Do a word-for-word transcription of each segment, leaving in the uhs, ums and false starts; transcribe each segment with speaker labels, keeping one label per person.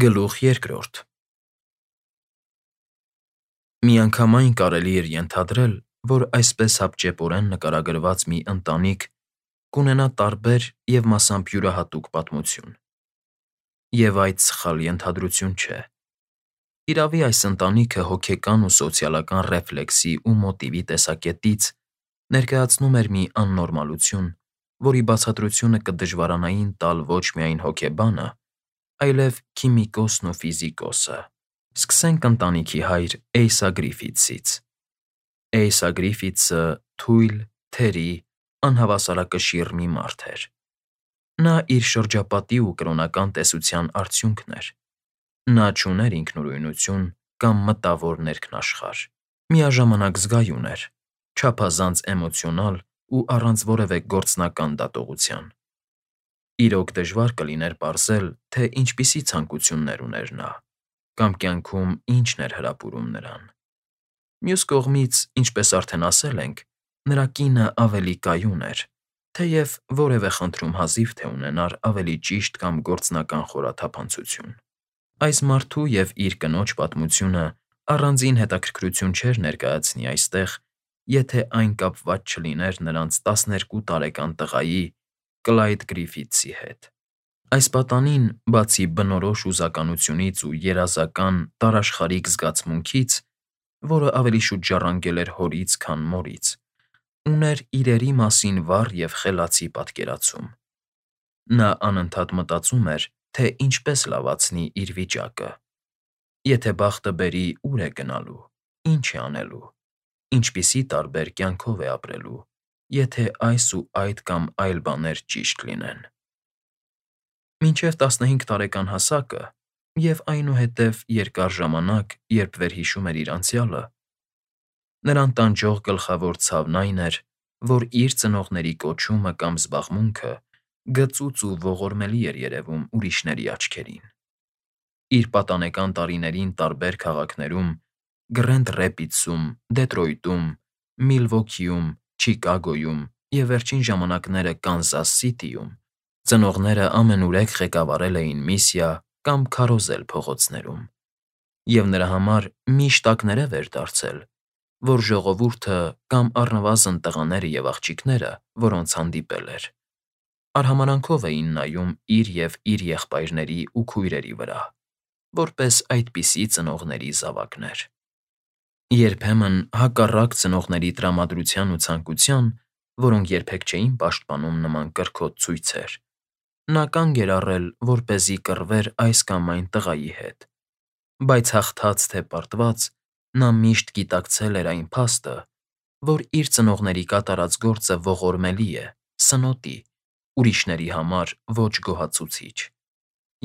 Speaker 1: Գլուխ երկրորդ Միանգամայն կարելի էր ենթադրել, որ այսպես հապճեպորեն նկարագրված մի ընտանիք կունենա տարբեր և մասամբ յուրահատուկ պատմություն, և այդ սխալ ենթադրություն չէ. իրավի այս ընտանիքը հոգեկան ու սոցիալական ռեֆլեքսի ու մոտիվի տեսակետից ներկայացնում էր մի աննորմալություն, որի բացատրությունը կդժվարանային տալ ոչ միայն հոգեբանը, այլև քիմիկոսն ու ֆիզիկոսը։ Սկսենք ընտանիքի հայր Էյսա Գրիֆիթսից։ Էյսա Գրիֆիթսը թույլ, թերի, անհավասարակշիռ մի մարդ էր։ Նա իր շրջապատի ու կրոնական տեսության արդյունքն էր։ Նա չուներ ինքնուրույնություն կամ մտավոր ներքնաշխարհ։ Միաժամանակ զգայուն էր, չափազանց էմոցիոնալ ու առանց որևէ գործնական դատողության։ Իրոք դժվար կլիներ պարզել, թե ինչպիսի ցանկություններ ուներ նա, կամ կյանքում ինչն էր հրապուրում նրան։ Մյուս կողմից, ինչպես արդեն ասել ենք, նրա կինը ավելի կայուն էր, թեև որևէ խնդրում հազիվ թե ունենար ավելի ճիշտ կամ գործնական խորաթափանցություն։ Այս մարդու և իր կնոջ պատմությունը առանձին հետաքրքրություն չէր ներկայացնի այստեղ, եթե այն կապված չլիներ նրանց տասներկու տարեկան տղայի՝ Կլայդ Գրիֆիթսի հետ։ Այս պատանին, բացի բնորոշ հուզականությունից ու երազական, տարաշխարհիկ զգացմունքից, որը ավելի շուտ ժառանգել էր հորից, քան մորից, ուներ իրերի մասին վառ և խելացի պատկերացում։ Նա անընդհատ մտածում էր, թե ինչպես լավացնի իր վիճակը։ Եթե բախտը բերի, ուր է գնալու, ինչ է անելու, ինչպիսի տարբեր կյանքով է ապրելու, եթե այս ու այդ կամ այլ բաներ ճիշտ լինեն։ Մինչև տասնհինգ տարեկան հասակը և այնուհետև երկար ժամանակ, երբ վերհիշում էր իր անցյալը, նրան տանջող գլխավոր ցավն այն էր, որ իր ծնողների կոչումը կամ զբաղմունքը գծուծ ու ողորմելի էր երևում ուրիշների աչքերին։ Իր պատանեկան տարիներին տարբեր քաղաքներում՝ Գրենդ Ռեպիդսում, Դեթրոյթում, Միլվոքիում, Չիկագոյում և վերջին ժամանակները Կանզաս Սիթիում, ծնողները ամենուրեք ղեկավարել էին միսիա կամ քարոզել փողոցներում, և նրա համար միշտ ակներև էր դարձել, որ ժողովուրդը կամ առնվազն տղաները և աղջիկները, որոնց հանդիպել էր, արհամարհանքով էին նայում իր և իր եղբայրների ու քույրերի վրա, որպես այդպիսի ծնողների զավակներ։ Երբեմն, հակառակ ծնողների տրամադրության ու ցանկության, որոնք երբեք չէին պաշտպանում նման կրքոտ ցույցեր, նա կանգ էր առել, որպեսզի կռվեր այս կամ այն տղայի հետ, բայց հաղթած թե պարտված, նա միշտ գիտակցել էր այն փաստը, որ իր ծնողների կատարած գործը ողորմելի է, սնոտի, ուրիշների համար ոչ գոհացուցիչ,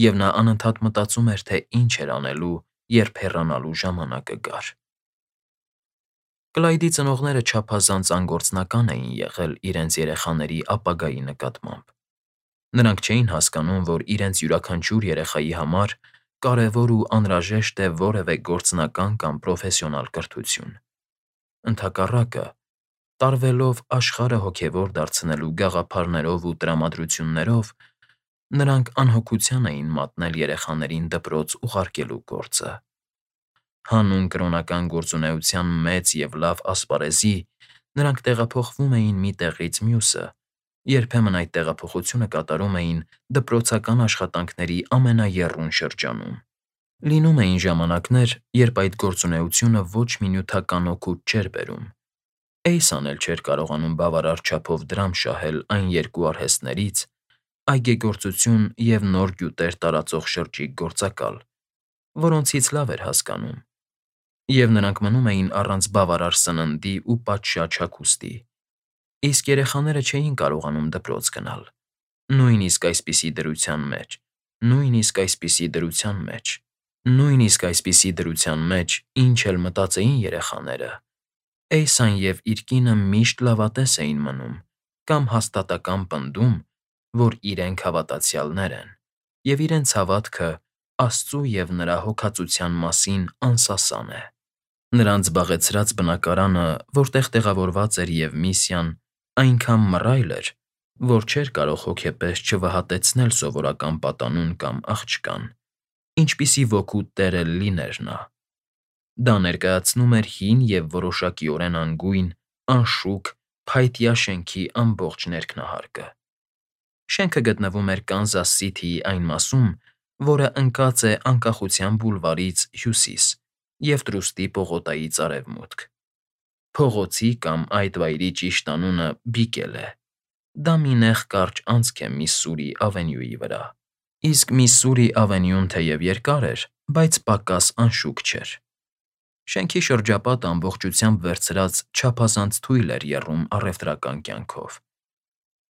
Speaker 1: և նա անընդհատ մտածում էր, թե ինչ էր անելու, երբ հեռանալու ժամանակը գար։ Կլայդի ծնողները չափազանց անգործնական էին եղել իրենց երեխաների ապագայի նկատմամբ։ Նրանք չէին հասկանում, որ իրենց յուրաքանչյուր երեխայի համար կարևոր ու անհրաժեշտ է որևէ գործնական կամ պրոֆեսիոնալ կրթություն։ Ընդհակառակը, տարվելով աշխարհը հոգևոր դարձնելու գաղափարներով ու տրամադրություններով, նրանք անհոգության էին մատնել երեխաներին դպրոց ուղարկելու գործը։ Հանուն կրոնական գործունեության մեծ և լավ ասպարեզի նրանք տեղափոխվում էին մի տեղից մյուսը, երբեմն այդ տեղափոխությունը կատարում էին դպրոցական աշխատանքների ամենաեռուն շրջանում։ Լինում էին ժամանակներ, երբ այդ գործունեությունը ոչ մի նյութական օգուտ չէր բերում։ Էյսան էլ չէր կարողանում բավարար չափով դրամ շահել այն երկու արհեստներից՝ այգեգործություն և նոր գյուտեր տարածող շրջիկ գործակալ, որոնցից լավ էր հասկանում, և նրանք մնում էին առանց բավարար սննդի ու պատշաճ հագուստի, իսկ երեխաները չէին կարողանում դպրոց գնալ, նույնիսկ այսպիսի դրության մեջ, նույնիսկ այսպիսի դրության մեջ, նույնիսկ այսպիսի դրության մեջ, ինչ էլ մտածեին երեխաները, Էյսան և իր կինը միշտ լավատես էին մնում կամ հաստատակամ պնդում, որ իրենք հավատացյալներ են, և իրենց հավատքը Աստծու և նրա հոգածության մասին անսասան է։ Նրանց զբաղեցրած բնակարանը, որտեղ տեղավորված էր և միսիան, այնքան մռայլ էր, որ չէր կարող հոգեպես չվհատեցնել սովորական պատանուն կամ աղջկան, ինչպիսի ոգու տերը լիներ նա։ Դա ներկայացնում էր հին և որոշակիորեն անգույն, անշուք, փայտյա շենքի ամբողջ ներքնահարկը։ Շենքը գտնվում էր Կանզաս Սիթիի այն մասում, որը ընկած է Անկախության բուլվարից հյուսիս և Տրուստի պողոտայից արևմուտք։ Փողոցի կամ այդ վայրի ճիշտ անունը Բիկել է։ Դա մի նեղ կարճ անցք է Միսսուրի Ավենյուի վրա։ Իսկ Միսսուրի Ավենյուն թեև երկար էր, բայց պակաս անշուք չէր։ Շենքի շրջապատը ամբողջությամբ վերցրած չափազանց թույլ էր եռում առևտրական կյանքով։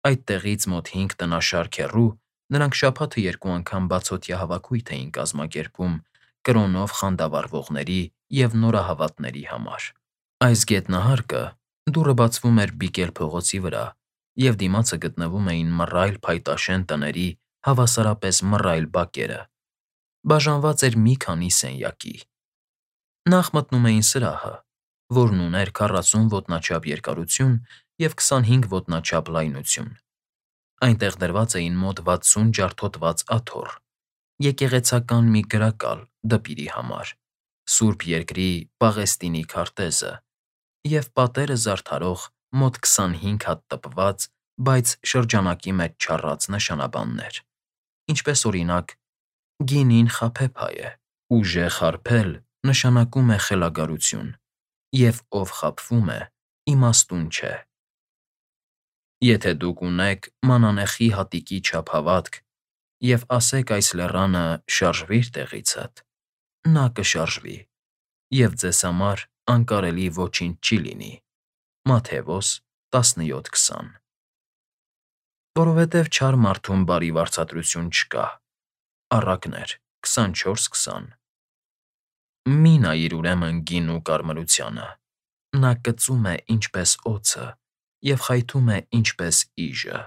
Speaker 1: Այդտեղից մոտ հինգ տնաշարք հեռու նրանք շաբաթը երկու անգամ բացօթյա հավաքույթ էին կազմակերպում կրոնով խանդավառվողների և նորահավատների համար։ Այս գետնահարկը դուռը բացվում էր Բիկել փողոցի վրա, և դիմացը գտնվում էին մռայլ փայտաշեն տների հավասարապես մռայլ բակերը։ Բաժանված էր մի քանի սենյակի։ Նախ մտնում էին սրահը, որն ուներ քառասուն ոտնաչափ երկարություն և քսանհինգ ոտնաչափ լայնություն։ Այնտեղ դրված էին մոտ վաթսուն ջարդոտված աթոռ, եկեղեցական մի գրակալ դպիրի համար, Սուրբ Երկրի Պաղեստինի քարտեզը և պատերը զարդարող մոտ քսանհինգ հատ տպված, բայց շրջանակի մեջ չառած նշանաբաններ, ինչպես օրինակ. «Գինին խաբեբայ է, ուժեղ հարբել նշանակում է խելագարություն, և ով խաբվում է, իմաստուն չէ»։ Եթե դուք ունեք մանանեխի հատիկի չափ հավատք և ասեք այս լեռանը «շարժվի՛ր տեղիցդ», նա կշարժվի, և ձեզ համար անկարելի ոչինչ չի լինի։ Մատթեոս տասնյոթ քսան։ Որովհետև չար մարդում բարի վարձատրություն չկա։ Առակներ քսանչորս քսան։ Մի՛ նայիր ուրեմն գին ու կարմրությանը. նա կծում է ինչպես օձը և խայթում է ինչպես իժը։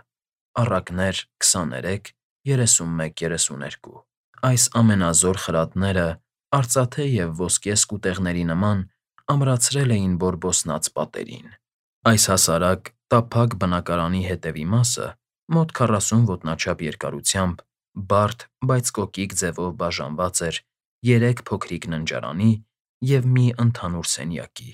Speaker 1: Առակներ քսաներեք երեսունմեկ երեսուներկու։ Այս ամենազոր խրատները արծաթե և ոսկե սկուտեղների նման ամրացրել էին բորբոսնած պատերին։ Այս հասարակ, տափակ բնակարանի հետևի մասը մոտ քառասուն ոտնաչափ երկարությամբ, բարդ, բայց կոկիկ ձևով բաժանված էր երեք փոքրիկ ննջարանի և մի ընդհանուր սենյակի,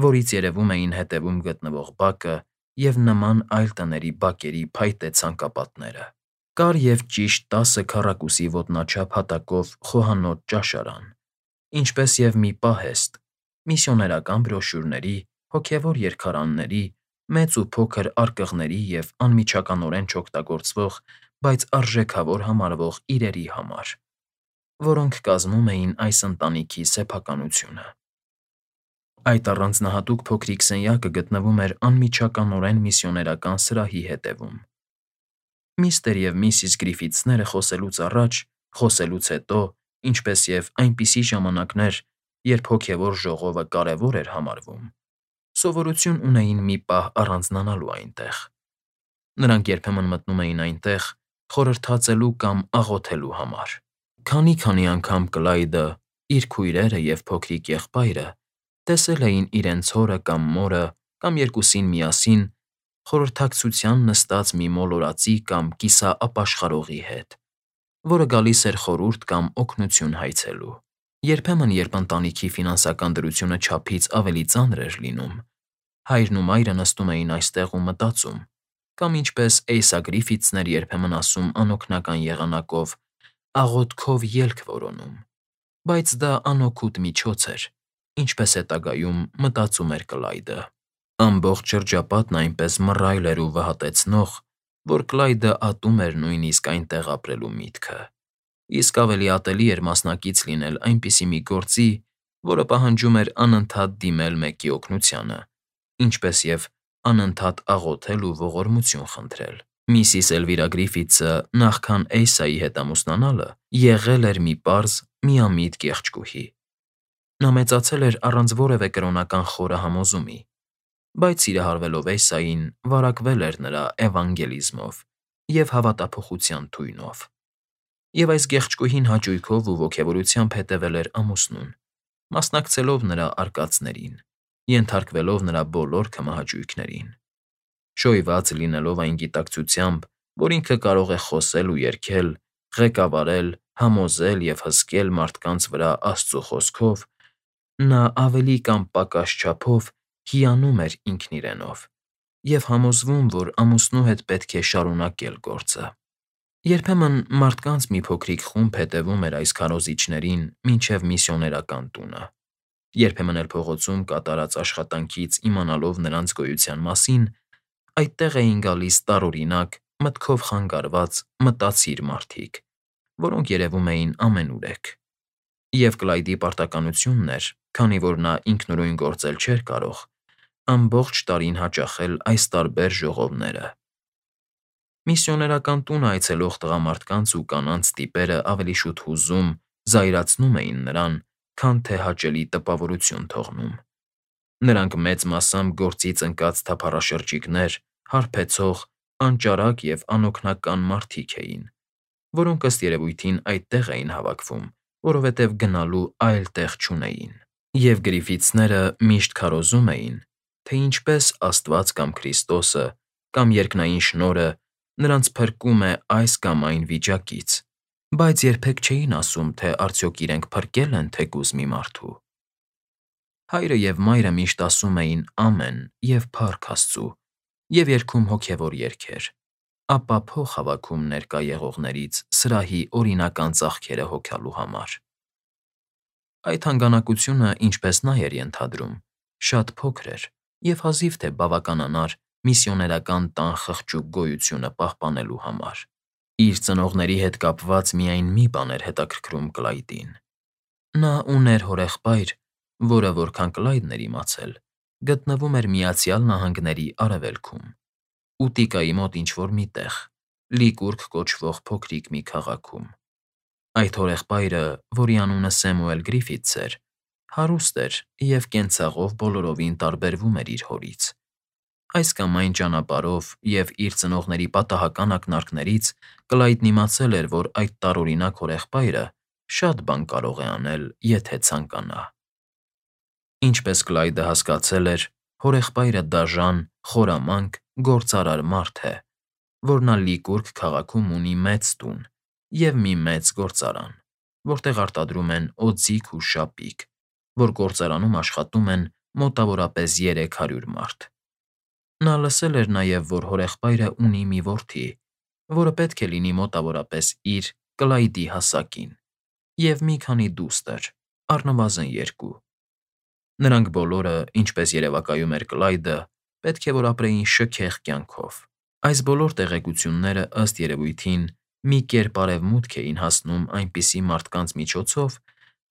Speaker 1: որից երևում էին հետևում գտնվող բակը և նման այլ տների բակերի փայտե ցանկապատները։ Կար և ճիշտ տասը քառակուսի ոտնաչափ հատակով խոհանոց ճաշարան, ինչպես և մի պահեստ՝ միսիոներական բրոշյուրների, հոգևոր երգարանների, մեծ ու փոքր արկղների և անմիջականորեն չօգտագործվող, բայց արժեքավոր համարվող իրերի համար, որոնք կազմում էին այս ընտանիքի սեփականությունը։ Այդ առանձնահատուկ փոքրիկ սենյակը գտնվում էր անմիջականորեն միսիոներական սրահի հետևում։ Միստր և Միսիս Գրիֆիթսները խոսելուց առաջ, խոսելուց հետո, ինչպես և այնպիսի ժամանակներ, երբ հոգևոր ժողովը կարևոր էր համարվում, սովորություն ունեին մի պահ առանձնանալու այնտեղ։ Նրանք երբեմն մտնում էին այնտեղ խորհրդածելու կամ աղոթելու համար։ Քանի֊քանի անգամ Կլայդը, իր քույրերը և փոքրիկ եղբայրը տեսել էին իրենց հորը կամ մորը կամ երկուսին միասին խորհրդակցության նստած մի մոլորածի կամ կիսաապաշխարողի հետ, որը գալիս էր խորհուրդ կամ օգնություն հայցելու։ Երբեմն, երբ ընտանիքի ֆինանսական դրությունը չափից ավելի ծանր էր լինում, հայրն ու մայրը նստում էին այստեղ ու մտածում, կամ ինչպես Էյսա Գրիֆիթսն էր երբեմն ասում անօգնական եղանակով, աղոթքով ելք որոնում։ Բայց դա անօգուտ միջոց էր, ինչպես հետագայում մտածում էր Կլայդը։ Ամբողջ շրջապատն այնպես մռայլ էր ու վհատեցնող, որ Կլայդը ատում էր նույնիսկ այնտեղ ապրելու միտքը։ Իսկ ավելի ատելի էր մասնակից լինել այնպիսի մի գործի, որը պահանջում էր անընդհատ դիմել մեկի օգնությանը, ինչպես և անընդհատ աղոթել ու ողորմություն խնդրել։ Միսիս Էլվիրա Գրիֆիթսը նախքան Էյսայի հետ ամուսնանալը եղել էր մի պարզ, միամիտ կեղճկուհի։ Նա մեծացել էր առանց որևէ կրոնական խորը համոզումի, բայց սիրահարվելով Էյսային, վարակվել էր նրա էվանգելիզմով և հավատափոխության թույնով։ Եվ այս գեղեցկուհին հաճույքով ու ոգևորությամբ հետևել էր ամուսնուն, մասնակցելով նրա արկածներին, ենթարկվելով նրա բոլոր քմահաճույքներին։ Շոյված լինելով այն գիտակցությամբ, որ ինքը կարող է խոսել ու երգել, ղեկավարել համոզել և հսկել մարդկանց վրա Աստծու խոսքով, նա ավելի կամ պակաս չափով հիանում էր ինքն իրենով և համոզվում, որ ամուսնու հետ պետք է շարունակել գործը։ Երբեմն մարդկանց մի փոքրիկ խումբ հետևում էր այս քարոզիչներին մինչև միսիոներական տունը։ Երբեմն էլ փողոցում կատարած աշխատանքից իմանալով նրանց գոյության մասին, այդտեղ էին գալիս տարօրինակ, մտքով խանգարված, մտածիր մարդիկ, որոնք երևում էին ամենուրեք։ Եվ Կլայդի պարտականությունն էր, քանի որ նա ինքնուրույն գործել չէր կարող, ամբողջ տարին հաճախել այս տարբեր ժողովները։ Միսիոներական տունը այցելող տղամարդկանց ու կանանց տիպերը ավելի շուտ հուզում, զայրացնում էին նրան, քան թե հաճելի տպավորություն թողնում։ Նրանք մեծ մասամբ գործից ընկած թափառաշրջիկներ, հարբեցող, անճարակ և անօգնական մարդիկ էին, որոնք ըստ երևույթին այդտեղ էին հավաքվում, որովհետև գնալու այլ տեղ չունեին։ Եվ Գրիֆիթսները միշտ քարոզում էին, թե ինչպես Աստված կամ Քրիստոսը կամ երկնային շնորհը նրանց փրկում է այս կամ այն վիճակից, բայց երբեք չէին ասում, թե արդյոք իրենք փրկե՞լ են թեկուզ մի մարդու։ Հայրը և մայրը միշտ ասում էին «Ամեն» և «Փառք Աստծու» և երգում հոգևոր երգեր, ապա փող հավաքում ներկա եղողներից սրահի օրինական ծախքերը հոգալու համար։ Այդ հանգանակությունը, ինչպես նա էր ենթադրում, շատ փոքր էր և հազիվ թե բավականանար միսիոներական տան խղճուկ գոյությունը պահպանելու համար։ Իր ծնողների հետ կապված միայն մի բան էր հետաքրքրում Կլայդին։ Նա ուներ հորեղբայր, որը, որքան Կլայդն էր իմացել, գտնվում էր Միացյալ Նահանգների արևելքում, Ուտիկայի մոտ ինչ֊որ մի տեղ, Լիկուրգ կոչվող փոքրիկ մի քաղաքում։ Այդ հորեղբայրը, որի անունը Սեմուել Գրիֆիթս էր, հարուստ էր և կենցաղով բոլորովին տարբերվում էր իր հորից։ Այս կամ այն ճանապարհով և իր ծնողների պատահական ակնարկներից Կլայդն իմացել էր, որ այդ տարօրինակ հորեղբայրը շատ բան կարող է անել, եթե ցանկանա։ Ինչպես Կլայդը հասկացել էր, հորեղբայրը դաժան, խորամանկ, գործարար մարդ է, որ նա Լիկուրգ քաղաքում ունի մեծ տուն և մի մեծ գործարան, որտեղ արտադրում են օձիք ու շապիկ, որ գործարանում աշխատում են մոտավորապես երեք հարյուր մարդ։ Նա լսել էր նաև, որ հորեղբայրը ունի մի որդի, որը պետք է լինի մոտավորապես իր՝ Կլայդի հասակին, և մի քանի դուստր, առնվազն երկու։ Նրանք բոլորը, ինչպես երևակայում էր Կլայդը, պետք է որ ապրեին շքեղ կյանքով։ Այս բոլոր տեղեկությունները, ըստ երևույթին, մի կերպ արևմուտք էին հասնում այնպիսի մարդկանց միջոցով,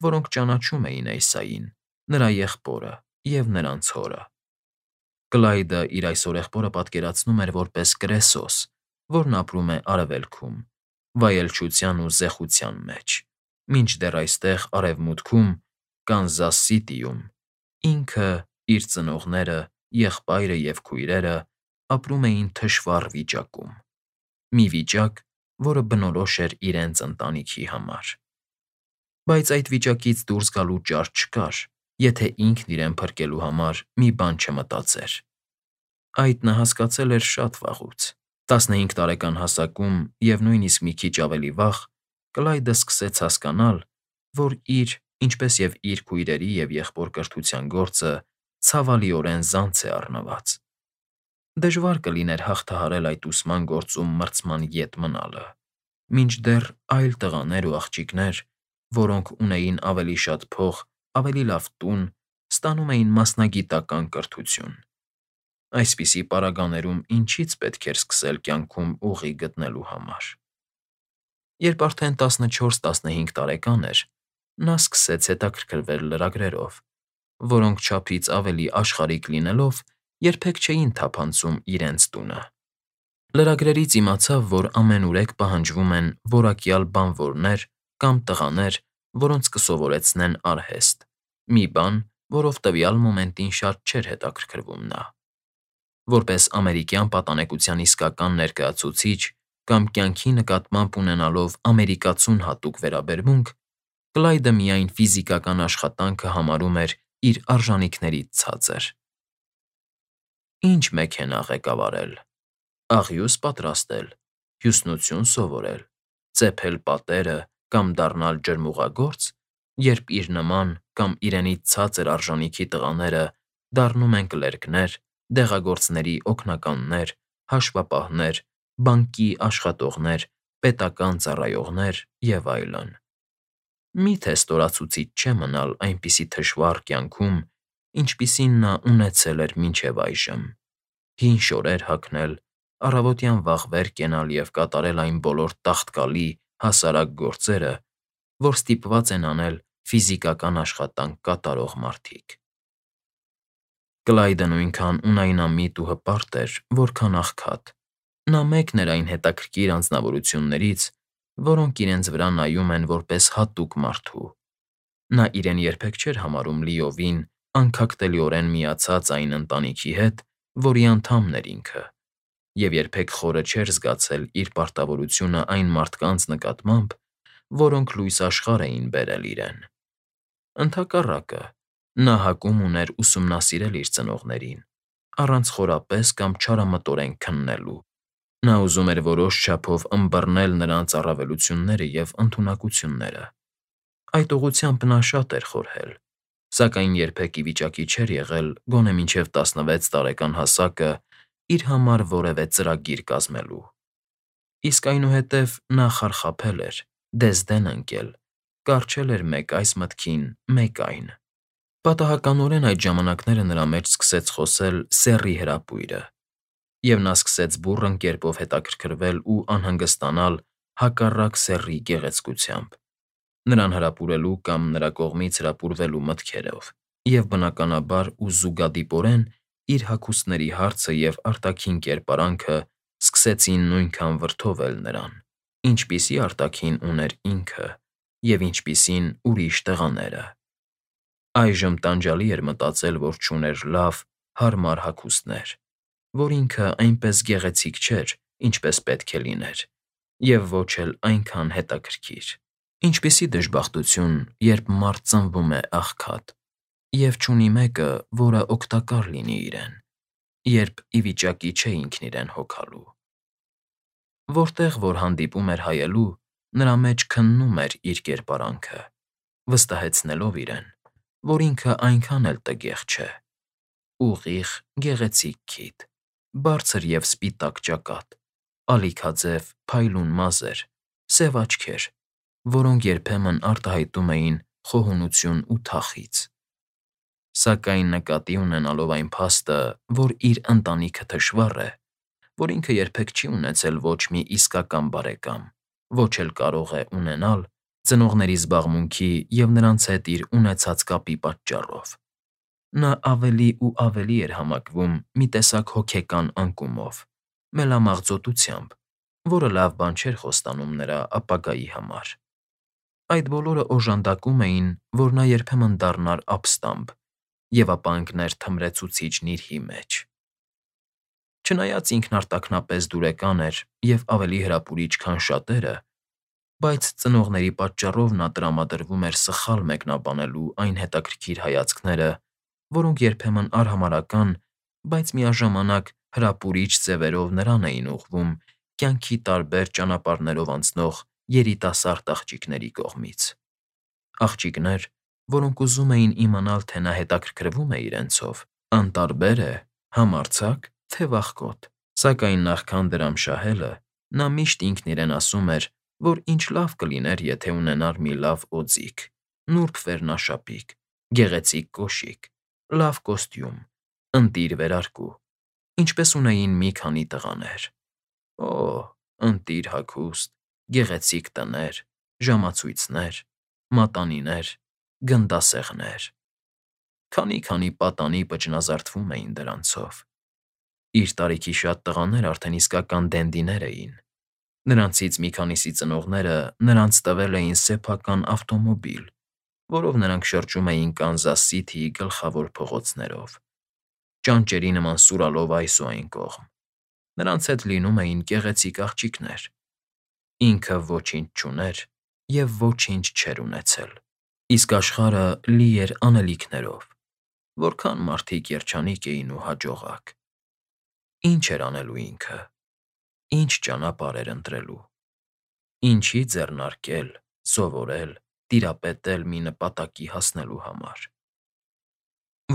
Speaker 1: որոնք ճանաչում էին Էսային, նրա եղբորը և նրանց հորը։ Կլայդը իր այս հորեղբորը պատկերացնում էր որպես կրեսոս, որն ապրում է արևելքում, վայելչության ու զեխության մեջ, մինչդեռ այստեղ, արևմուտքում, Կանզաս Սիթիում, ինքը, իր ծնողները, եղբայրը և քույրերը ապրում էին թշվառ վիճակում։ Մի վիճակ, որը բնորոշ էր իրենց ընտանիքի համար։ Բայց այդ վիճակից դուրս գալու ճար չկար, եթե ինքն իրեն փրկելու համար մի բան չմտածեր։ Այդ նա հասկացել էր շատ վաղուց։ տասնհինգ տարեկան հասակում և նույնիսկ մի քիչ ավելի վաղ Կլայդը սկսեց հասկանալ, որ իր, ինչպես և իր քույրերի և եղբոր կրթության գործը ցավալիորեն զանց է առնված։ Դժվար կլիներ հաղթահարել այդ ուսման գործում մրցման ետք մնալը, մինչդեռ այլ տղաներ ու աղջիկներ, որոնք ունեին ավելի շատ փող, ավելի լավ տուն, ստանում էին մասնագիտական կրթություն։ Այսպիսի պարագաներում ինչի՞ց պետք էր սկսել կյանքում ուղի գտնելու համար։ Երբ արդեն տասնչորս֊տասնհինգ տարեկան էր, նա սկսեց հետաքրքրվել լրագրերով, որոնք չափից ավելի աշխարհիկ լինելով, երբեք չէին թափանցում իրենց տունը։ Լրագրերից իմացավ, որ ամենուրեք պահանջվում են որակյալ բանվորներ կամ տղաներ, որոնց կսովորեցնեն արհեստ, մի բան, որով տվյալ մոմենտին շատ չէր հետաքրքրվում նա։ Որպես ամերիկյան պատանեկության իսկական ներկայացուցիչ կամ կյանքի նկատմամբ ունենալով ամերիկացուն հատուկ վերաբերմունք, Կլայդը միայն ֆիզիկական աշխատանքը համարում էր իր արժանիքներից ցածր։ Ինչ մեքենա ղեկավարել, աղյուս պատրաստել, հյուսնություն սովորել, ծեփել պատերը կամ դառնալ ջրմուղագործ, երբ իր նման կամ իրենից ցածր արժանիքի տղաները դառնում են կլերկներ, դեղագործների օգնականներ, հաշվապահներ, բանկի աշխատողներ, պետական ծառայողներ և այլն։ Մի՞թե ստորացուցիչ չէ մնալ այնպիսի թշվառ կյանքում, ինչպիսին նա ունեցել էր մինչև այժմ, հին շորեր հագնել, առավոտյան վաղվեր կենալ և կատարել այն բոլոր տաղտկալի, հասարակ գործերը, որ ստիպված են անել ֆիզիկական աշխատանք կատարող մարդիկ։ Կլայդը նույնքան ունայնամիտ ու հպարտ էր, որքան աղքատ։ Նա մեկն էր այն հետաքրքիր անձնավորություններից, որոնք իրենց վրա նայում են որպես հատուկ մարդու։ Նա իրեն երբեք չէր համարում լիովին, անքակտելիորեն միացած այն ընտանիքի հետ, որի անդամն էր ինքը, և երբեք խորը չէր զգացել իր պարտավորությունը այն մարդկանց նկատմամբ, որոնք լույս աշխարհ էին բերել իրեն։ Ընդհակառակը, նա հակում ուներ ուսումնասիրել իր ծնողներին, առանց խորապես կամ չարամտորեն քննելու։ Նա ուզում էր որոշ չափով ըմբռնել նրանց առավելությունները և ընդունակությունները։ Այդ ուղղությամբ նա շատ էր խորհել, սակայն երբեք ի վիճակի չէր եղել գոնե մինչև տասնվեց տարեկան հասակը իր համար որևէ ծրագիր կազմելու։ Իսկ այնուհետև նա խարխափել էր, դեզդեն ընկել, կառչել էր մեկ այս մտքին, մեկ այն։ Պատահականորեն այդ ժամանակները նրա մեջ սկսեց խոսել սեռի հրապույրը, և նա սկսեց բուռն կերպով հետաքրքրվել ու անհանգստանալ հակառակ սեռի գեղեցկությամբ, նրան հրապուրելու կամ նրա կողմից հրապուրվելու մտքերով, և բնականաբար ու զուգադիպորեն իր հագուստների հարցը և արտաքին կերպարանքը սկսեցին նույնքան վրդովել նրան, ինչպիսի արտաքին ուներ ինքը և ինչպիսին ուրիշ տղաները։ Այժմ տանջալի էր մտածել, որ չուներ լավ, հարմար հագուստներ, որ ինքը այնպես գեղեցիկ չէր, ինչպես պետք է լիներ, և ոչ էլ այնքան հետաքրքիր։ Ինչպիսի դժբախտություն, երբ մարդ ծնվում է աղքատ և չունի մեկը, որը օգտակար լինի իրեն, երբ ի վիճակի չէ ինքն իրեն հոգալու։ Որտեղ որ հանդիպում էր հայելու, նրա մեջ քննում էր իր կերպարանքը, վստահեցնելով իրեն, որ ինքը այնքան էլ տգեղ չէ։ Ուղիղ, գեղեցիկ քիթ, բարձր և սպիտակ ճակատ, ալիքաձև, փայլուն մազեր, սև աչքեր, որոնք երբեմն արտահայտում էին խոհունություն ու թախիծ։ Սակայն նկատի ունենալով այն փաստը, որ իր ընտանիքը թշվառ է, որ ինքը երբեք չի ունեցել ոչ մի իսկական բարեկամ, ոչ էլ կարող է ունենալ ծնողների զբաղմունքի և նրանց հետ իր ունեցած կապի պատճառով, նա ավելի ու ավելի էր համակվում մի տեսակ հոգեկան անկումով, մելամաղձոտությամբ, որը լավ բան չէր խոստանում նրա ապագայի համար։ Այդ բոլորը օժանդակում էին, որ նա երբեմն դառնար ապստամբ և ապա ընկներ թմրեցուցիչ նիրհի մեջ։ Չնայած ինքն արտաքնապես դուրեկան էր և ավելի հրապուրիչ, քան շատերը, բայց ծնողների պատճառով նա տրամադրվում էր սխալ մեկնաբանելու այն հետաքրքիր հայացքները, որոնք երբեմն արհամարհական, բայց միաժամանակ հրապուրիչ ձևերով նրան էին ուղղվում կյանքի տարբեր ճանապարհներով անցնող երիտասարդ աղջիկների կողմից։ Աղջիկներ, որոնք ուզում էին իմանալ, թե նա հետաքրքրվում է իրենցով, անտարբեր է, համարձա՞կ, թե վախկոտ։ Սակայն նախքան դրամ շահելը, նա միշտ ինքն իրեն ասում էր, որ ինչ լավ կլիներ, եթե ունենար մի լավ օձիք, նուրբ վերնաշապիկ, գեղեցիկ կոշիկ, լավ կոստյում, ընտիր վերարկու, ինչպես ունեին մի քանի տղաներ։ Օ՜, ընտիր հագուստ, գեղեցիկ տներ, ժամացույցներ, մատանիներ, գնդասեղներ… Քանի՛֊քանի պատանի պճնազարդվում էին դրանցով։ Իր տարիքի շատ տղաներ արդեն իսկական դենդիներ էին։ Նրանցից մի քանիսի ծնողները նրանց տվել էին սեփական ավտոմոբիլ, որով նրանք շրջում էին Կանզաս Սիթիի գլխավոր փողոցներով, ճանճերի նման սուրալով այս ու այն կողմ։ Նրանց հետ լինում էին գեղեցիկ աղջիկներ։ Ինքը ոչինչ չուներ և ոչինչ չէր ունեցել, իսկ աշխարհը լի էր անելիքներով, որքան մարդիկ երջանիկ էին ու հաջողակ։ Ի՞նչ էր անելու ինքը, ի՞նչ ճանապարհ էր ընտրելու, ինչի՞ ձեռնարկել, սովորել, տիրապետել մի նպատակի հասնելու համար։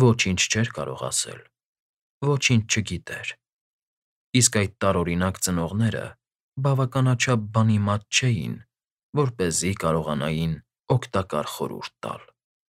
Speaker 1: Ոչինչ չէր կարող ասել, ոչինչ չգիտեր, իսկ այդ տարօրինակ ծնողները բավականաչափ բանիմաց չէին, որպեսզի կարողանային օգտակար խորհուրդ տալ։